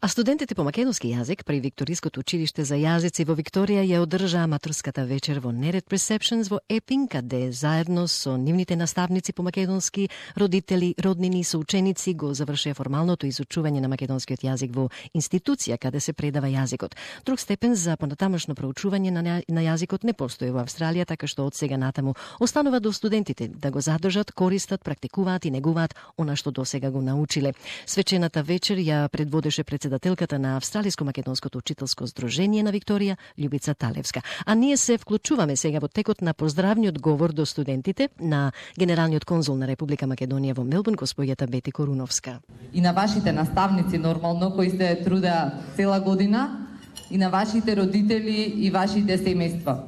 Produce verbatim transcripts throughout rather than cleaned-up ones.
А студентите по македонски јазик при Викториското училиште за јазици во Викторија ја одржаа матурската вечер во Nered Perceptions во Епинг, каде заедно со нивните наставници по македонски, родители, роднини и соученици го завршија формалното изучување на македонскиот јазик во институција каде се предава јазикот. Друг степен за понатамошно проучување на, на јазикот не постои во Австралија, така што од сега натаму останува до студентите да го задржат, користат, практикуваат и негуваат она што досега го научиле. Свечената вечер ја предводеше председателката на Австралиско-македонското учителско здружение на Викторија, Љубица Талевска. А ние се вклучуваме сега во текот на поздравниот говор до студентите на генералниот конзул на Република Македонија во Мелбурн, госпоѓата Бети Коруновска. И на вашите наставници нормално кои се трудеа цела година, и на вашите родители и вашите семејства.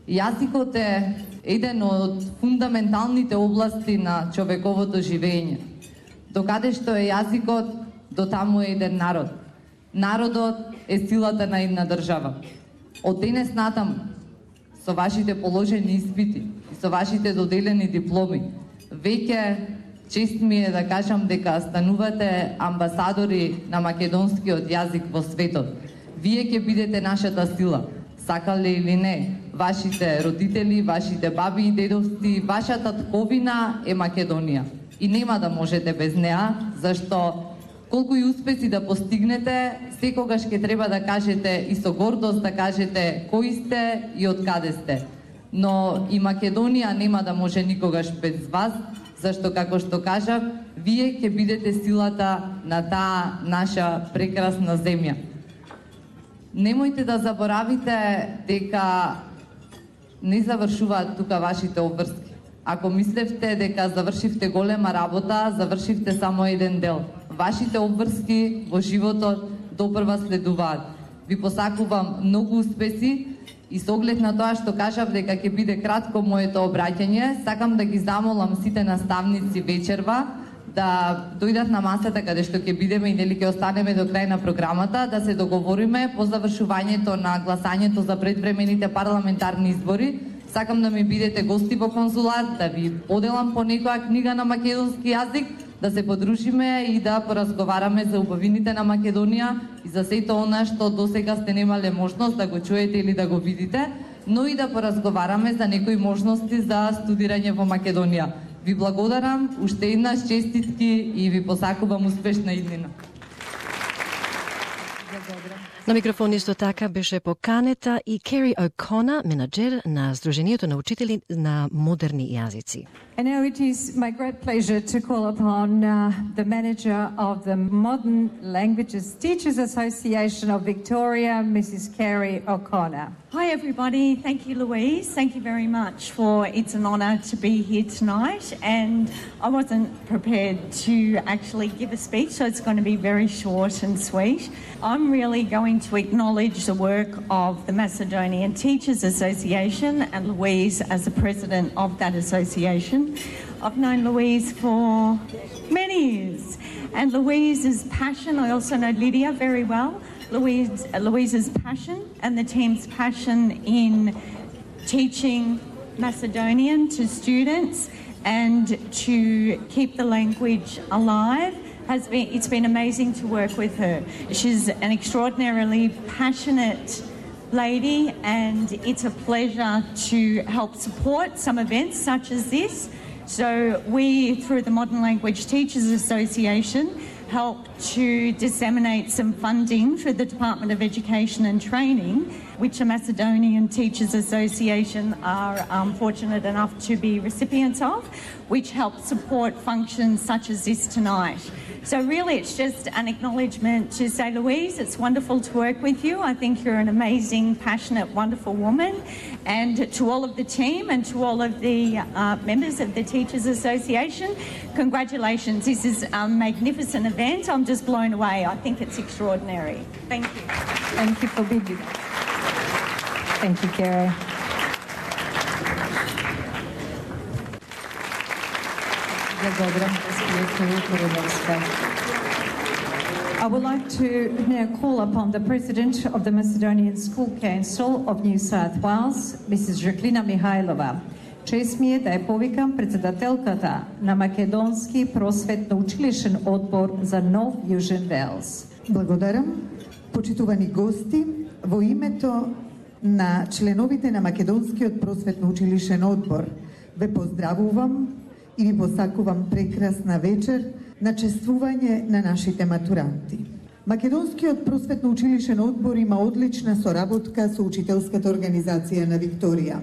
Јазикот е еден од фундаменталните области на човековото живење. Докаде што е јазикот, до таму е еден народ. Народот е силата на една држава. Од денес натаму, со вашите положени испити и со вашите доделени дипломи, веќе чест ми е да кажам дека станувате амбасадори на македонскиот јазик во светот. Вие ќе бидете нашата сила, сакале или не. Вашите родители, вашите баби и дедовци, вашата тковина е Македонија. И нема да можете без неа, зашто колку и успеси да постигнете, секогаш ќе треба да кажете и со гордост да кажете кои сте и од каде сте. Но и Македонија нема да може никогаш без вас, зашто како што кажав, вие ќе бидете силата на таа наша прекрасна земја. Немојте да заборавите дека не завршуваат тука вашите обврски. Ако мислевте дека завршивте голема работа, завршивте само еден дел. Вашите обврски во животот допрва следуваат. Ви посакувам многу успеси и со оглед на тоа што кажав дека ќе биде кратко моето обраќање, сакам да ги замолам сите наставници вечерва да дојдат на масата каде што ќе бидеме и дали ќе останеме до крај на програмата, да се договориме по завршувањето на гласањето за предвремените парламентарни избори. Сакам да ми бидете гости во конзулат, да ви поделам по некоја книга на македонски јазик, да се подружиме и да поразговараме за убавините на Македонија и за сето она што досега сте немале можност да го чуете или да го видите, но и да поразговараме за некои можности за студирање во Македонија. Ви благодарам, уште еднаш честитки и ви посакувам успешна иднина. На микрофон исто така беше поканета и Кери О'Кона, менаџер на Сдруженијето на учители на модерни јазици. And now it is my great pleasure to call upon uh, the manager of the Modern Languages Teachers Association of Victoria, Missus Keri O'Connor. Hi everybody, thank you Louise, thank you very much for, it's an honour to be here tonight, and I wasn't prepared to actually give a speech, so it's going to be very short and sweet. I'm really going to acknowledge the work of the Macedonian Teachers Association and Louise as the president of that association. I've known Louise for many years, and Louise's passion, I also know Lydia very well, Louise, Louise's passion and the team's passion in teaching Macedonian to students and to keep the language alive has been, it's been amazing to work with her. She's an extraordinarily passionate lady, and it's a pleasure to help support some events such as this. So we, through the Modern Language Teachers Association, help to disseminate some funding through the Department of Education and Training, which the Macedonian Teachers Association are um, fortunate enough to be recipients of, which help support functions such as this tonight. So really it's just an acknowledgement to say, Louise, it's wonderful to work with you. I think you're an amazing, passionate, wonderful woman. And to all of the team and to all of the uh, members of the Teachers Association, congratulations. This is a magnificent event. I'm just blown away. I think it's extraordinary. Thank you. Thank you for being here. Thank you, Keri. I would like to now call upon the President of the Macedonian School Council of New South Wales, Missus Жаклина Михайлова. Чест ми е да ја повикам председателката на Македонски просветно училишен одбор за Нов Јужен Велс. Благодарам. Почитувани гости, во името на членовите на Македонскиот просветно-училишен одбор ве поздравувам и ви посакувам прекрасна вечер на чествување на нашите матуранти. Македонскиот просветно-училишен одбор има одлична соработка со Учителската организација на Викторија.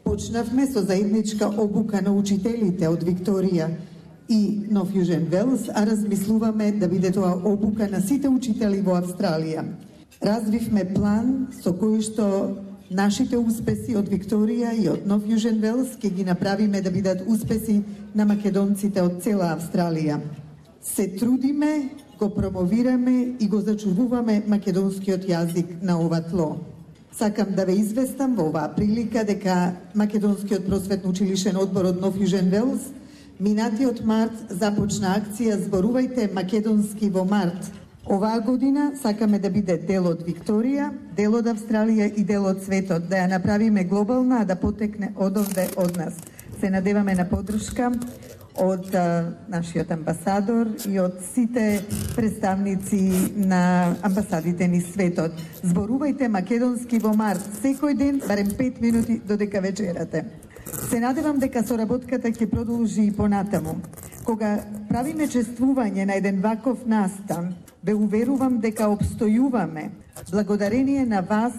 Почнавме со заедничка обука на учителите од Викторија и Нов Јужен Велс, а размислуваме да биде тоа обука на сите учители во Австралија. Развивме план со кој што нашите успеси од Викторија и од Нов Јужен Велс ќе ги направиме да бидат успеси на македонците од цела Австралија. Се трудиме, го промовираме и го зачувуваме македонскиот јазик на ова тло. Сакам да ве известам во оваа прилика дека Македонскиот просветно-училишен одбор од Нов Јужен Велс минатиот март започна акција Зборувајте македонски во март. Оваа година сакаме да биде дел од Викторија, дел од Австралија и дел од светот, да ја направиме глобална, а да потекне одовде од нас. Се надеваме на поддршка од а, нашиот амбасадор и од сите представници на амбасадите ни светот. Зборувајте македонски во март, секој ден, барем пет минути додека вечерате. Се надевам дека соработката ќе продолжи и понатаму. Кога правиме чествување на еден ваков настан, ве уверувам дека обстојуваме благодарение на вас,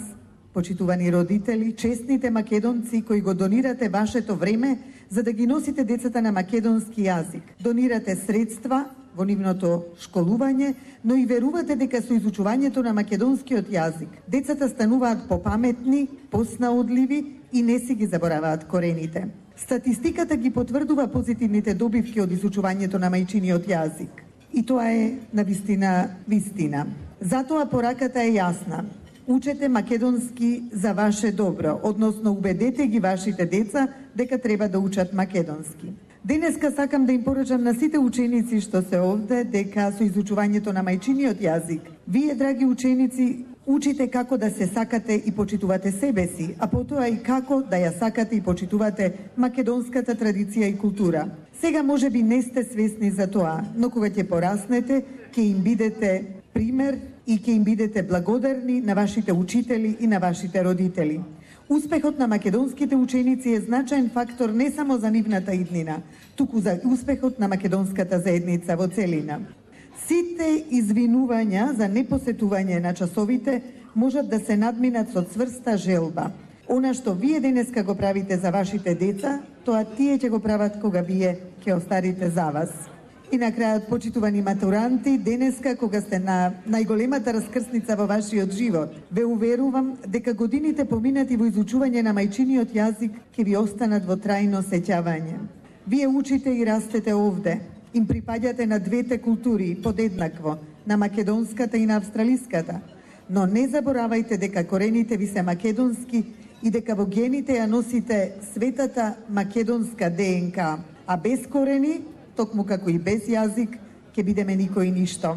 почитувани родители, честните македонци кои го донирате вашето време за да ги носите децата на македонски јазик. Донирате средства во нивното школување, но и верувате дека со изучувањето на македонскиот јазик децата стануваат попаметни, поснаодливи и не си ги забораваат корените. Статистиката ги потврдува позитивните добивки од изучувањето на мајчиниот јазик. И тоа е навистина вистина. Затоа пораката е јасна. Учете македонски за ваше добро, односно убедете ги вашите деца дека треба да учат македонски. Денеска сакам да им порачам на сите ученици што се овде дека со изучувањето на мајчиниот јазик, вие, драги ученици, учите како да се сакате и почитувате себе си, а потоа и како да ја сакате и почитувате македонската традиција и култура. Сега може би не сте свесни за тоа, но кога ќе пораснете, ќе им бидете пример и ќе им бидете благодарни на вашите учители и на вашите родители. Успехот на македонските ученици е значаен фактор не само за нивната иднина, туку за успехот на македонската заедница во целина. Сите извинувања за непосетување на часовите можат да се надминат со цврста желба. Она што вие денеска го правите за вашите деца, тоа тие ќе го прават кога вие ќе остарите за вас. И на крајот, почитувани матуранти, денеска кога сте на најголемата раскрсница во вашиот живот, ве уверувам дека годините поминати во изучување на мајчиниот јазик ќе ви останат во трајно сеќавање. Вие учите и растете овде, им припаѓате на двете култури подеднакво, на македонската и на австралиската, но не заборавајте дека корените ви се македонски и дека во гените ја носите светата македонска ДНК, а без корени, токму како и без јазик, ќе бидеме никој ништо.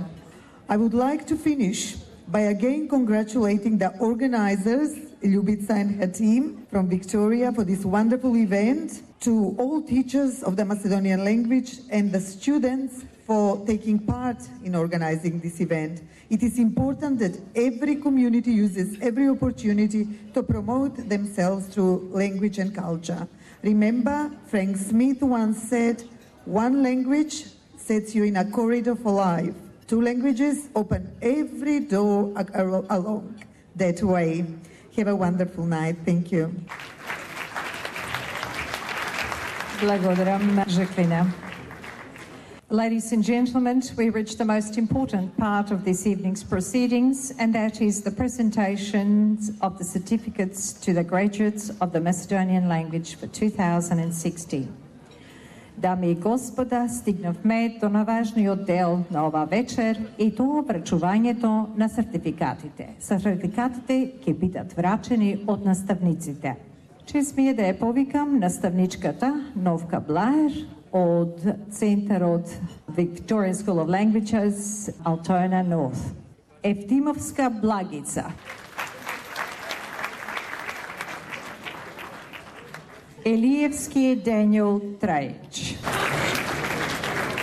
I would like to finish by again congratulating the organizers, Ljubica and her team from Victoria, for this wonderful event, to all teachers of the Macedonian language and the students for taking part in organizing this event. It is important that every community uses every opportunity to promote themselves through language and culture. Remember, Frank Smith once said, "One language sets you in a corridor for life. Two languages open every door along that way." Have a wonderful night. Thank you. Благодарам, Жаклина. Ladies and gentlemen, we reach the most important part of this evening's proceedings, and that is the presentations of the certificates to the graduates of the Macedonian language for two thousand sixteen. Дами и господа, стигнавме до наважниот дел на ова вечер и тоа врачувањето на сертификатите. Сертификатите ќе бидат врачени од наставниците. Чест ми е да ја повикам наставничката Новка Блаер од Центарот Victorian School of Languages, Altona North. Евтимовска Благица. Елиевски Даниел Трајч.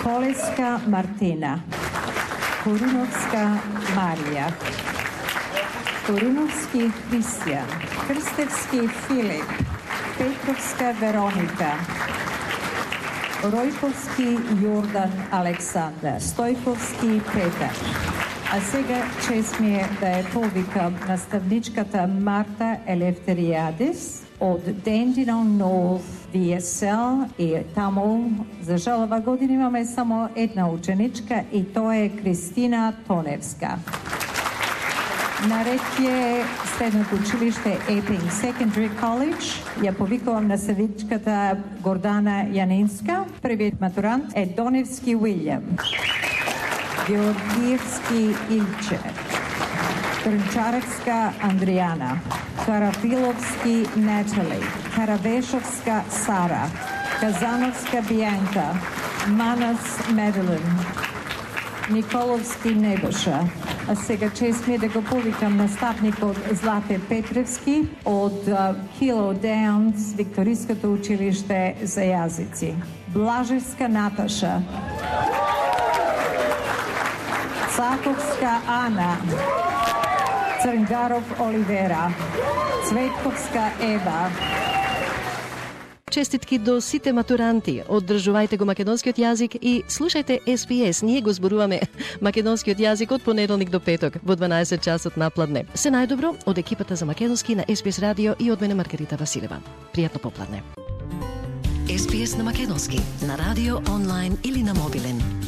Колеска Мартина. Коруновска Марија, Коруновски Христијан, Крстевски Филип, Петровска Вероника, Ројковски Јордан Александар, Стојковски Петар. А сега чест ми е да ја повикам наставничката Марта Елефтеријадис од Dandenong North ви ес ел и таму, за жал, ова година имаме само една ученичка и тоа е Кристина Тоневска. Наред е средното училиште Epping Secondary College. Ја повикувам наставничката Гордана Јанинска. Првиот матурант е Доневски Уилјам, Георгиевски Илче, Трнчаревска Андријана, Карафиловски Натали, Каравешовска Сара, Казановска Бијанка, Манас Меделин, Николовски Небоша. А сега чест ми е да го повикам наставникот Злате Петревски од Кило Даунс, Викториското училиште за јазици. Блажевска Наташа, Цаковска Ана, Црнгаров Оливера, Цветковска Ева. Честитки до сите матуранти. Оддржувајте го македонскиот јазик и слушајте Ес Би Ес. Ние го зборуваме македонскиот јазик од понеделник до петок во дванаесет часот напладне. Се најдобро од екипата за македонски на Ес Би Ес радио и од мене Маргарита Василева. Пријатно попладне. Ес Би Ес на македонски на радио, онлайн или на мобилен.